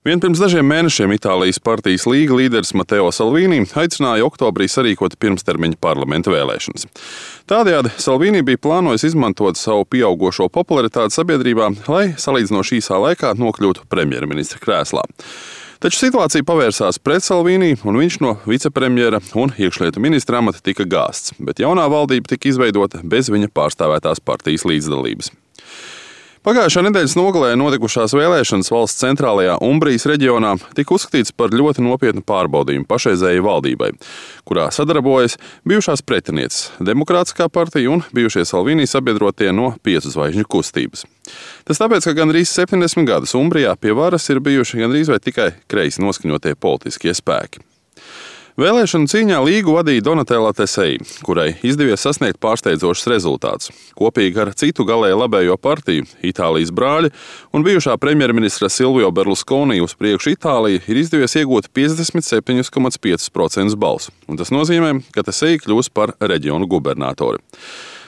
Vien pirms dažiem mēnešiem Itālijas partijas Līga līderis Matteo Salvini aicināja oktobrī sarīkot pirmstermiņa parlamenta vēlēšanas. Tādējādi Salvini bija plānojis izmantot savu pieaugošo popularitāti sabiedrībā, lai salīdzinoši īsā laikā nokļūtu premjerministra krēslā. Taču situācija pavērsās pret Salvini, un viņš no vicepremjera un iekšlietu ministra amata tika gāsts, bet jaunā valdība tika izveidota bez viņa pārstāvētās partijas līdzdalības. Pagājušā nedēļas nogalē notikušās vēlēšanas valsts centrālajā Umbrijas reģionā tika uzskatīts par ļoti nopietnu pārbaudījumu pašreizējai valdībai, kurā sadarbojas bijušās pretinieces Demokrātiskā partija un bijušie Salvini sabiedrotie no 5 zvaigžņu kustības. Tas tāpēc, ka gandrīz 70 gadus Umbrijā pie varas ir bijuši gandrīz vai tikai kreisi noskaņotie politiskie spēki. Vēlēšanu cīņā Līgu vadīja Donatella Tesei, kurai izdevies sasniegt pārsteidzošus rezultātus. Kopīgi ar citu galēji labējo partiju, Itālijas brāļi un bijušā premjerministra Silvio Berlusconi uz priekšu Itāliju ir izdevies iegūt 57,5% balsu, un tas nozīmē, ka Tesei kļūs par reģionu gubernatori.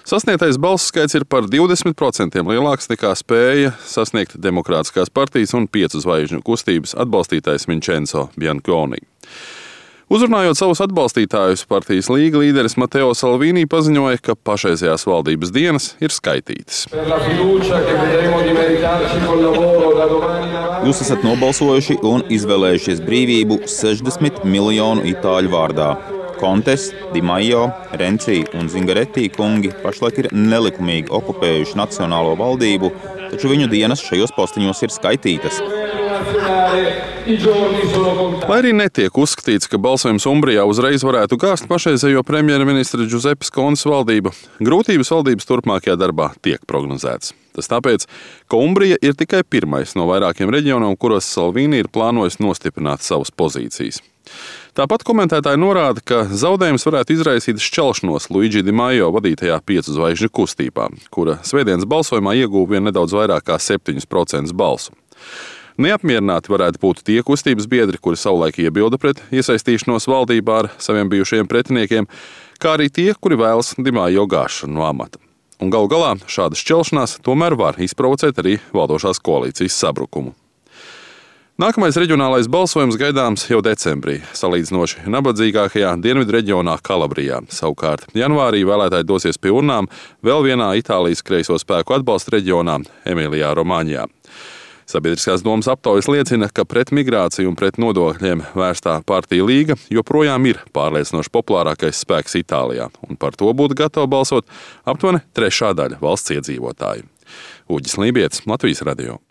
Sasniegtais balsu skaits ir par 20% lielāks nekā spēja sasniegt Demokrātiskās partijas un 5 zvaigžņu kustības atbalstītājs Vincenzo Bianconi. Uzrunājot savus atbalstītājus, partijas Līga līderis Matteo Salvini paziņoja, ka pašreizējās valdības dienas ir skaitītas. Jūs esat nobalsojuši un izvēlējušies brīvību 60 miljonu itāļu vārdā. Kontes, Di Maio, Renzi un Zingaretti kungi pašlaik ir nelikumīgi okupējuši nacionālo valdību, taču viņu dienas šajos postiņos ir skaitītas. Lai arī netiek uzskatīts, ka balsojums Umbrijā uzreiz varētu gāzt pašreizējo premjerministra Giuseppes Contes valdību, grūtības valdības turpmākajā darbā tiek prognozētas. Tas tāpēc, ka Umbrija ir tikai pirmais no vairākiem reģioniem, kuros Salvini ir plānojis nostiprināt savas pozīcijas. Tāpat komentētāji norāda, ka zaudējums varētu izraisīt šķelšanos Luigi Di Maio vadītajā 5 zvaigžņu kustībā, kura svētdienas balsojumā ieguva vien nedaudz vairāk kā 7% balsu. Neapmierināti varētu būt tie kustības biedri, kuri savulaik iebilda pret iesaistīšanos valdībā ar saviem bijušajiem pretiniekiem, kā arī tie, kuri vēlas Di Maio gāšanu no amata. Un galu galā šāda šķelšanās tomēr var izprovocēt arī valdošās koalīcijas sabrukumu. Nākamais reģionālais balsojums gaidāms jau decembrī, salīdzinoši nabadzīgākajā dienvidu reģionā Kalabrijā. Savukārt janvārī vēlētāji dosies pie urnām vēl vienā Itālijas kreiso spēku atbalsta reģionā Emilijā Romāņā. Sabiedriskās domas aptaujas liecina, ka pret migrāciju un pret nodokļiem vērstā partija Līga joprojām ir pārliecinoši populārākais spēks Itālijā, un par to būtu gatava balsot aptuveni 1/3 valsts iedzīvotāju. Uģis Lībietis, Latvijas radio.